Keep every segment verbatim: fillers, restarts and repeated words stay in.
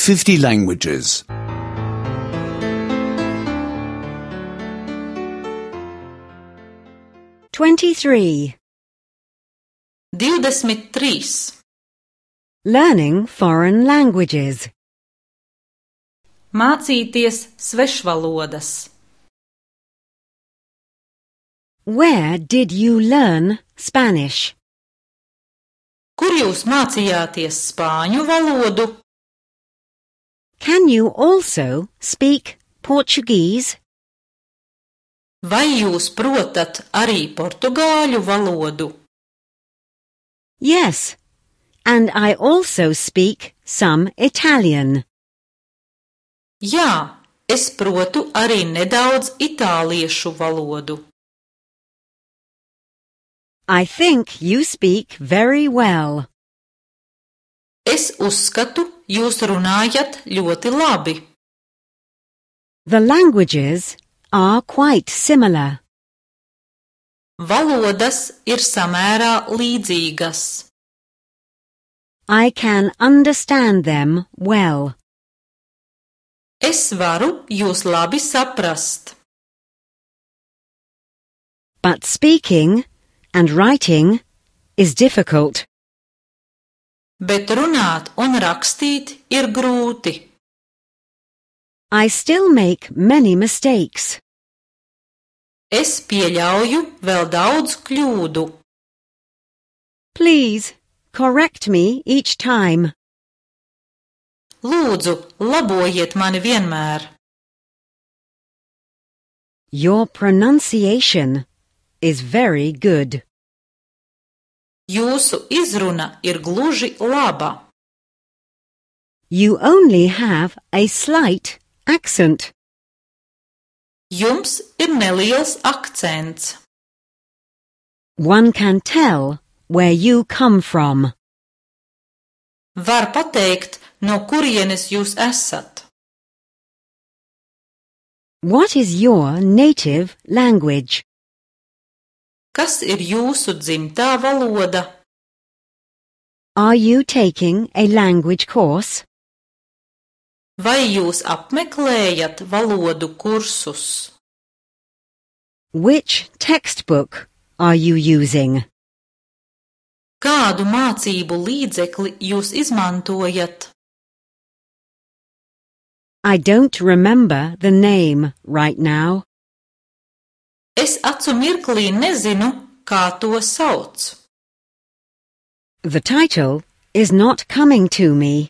fifty languages. twenty-three. Divdesmit trīs. Learning foreign languages. Mācīties svešvalodas. Where did you learn Spanish? Kur jūs mācījāties spāņu valodu? Can you also speak Portuguese? Vai jūs protat arī portugāļu valodu? Yes, and I also speak some Italian. Jā, es protu arī nedaudz itāliešu valodu. I think you speak very well. Es uzskatu, jūs runājat ļoti labi. The languages are quite similar. Valodas ir samērā līdzīgas. I can understand them well. Es varu jūs labi saprast. But speaking and writing is difficult. Bet runāt un rakstīt ir grūti. I still make many mistakes. Es pieļauju vēl daudz kļūdu. Please correct me each time. Lūdzu, labojiet mani vienmēr. Your pronunciation is very good. Jūsu izruna ir gluži laba. You only have a slight accent. Jums ir neliels akcents. One can tell where you come from. Var pateikt, no kurienes jūs esat. What is your native language? Kas ir jūsu dzimtā valoda? Are you taking a language course? Vai jūs apmeklējat valodu kursus? Which textbook are you using? Kādu mācību līdzekli jūs izmantojat? I don't remember the name right now. Es acu mirklī nezinu, kā to sauc. The title is not coming to me.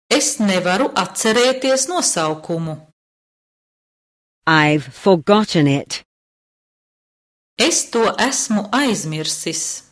Es nevaru atcerēties nosaukumu. I've forgotten it. Es to esmu aizmirsis.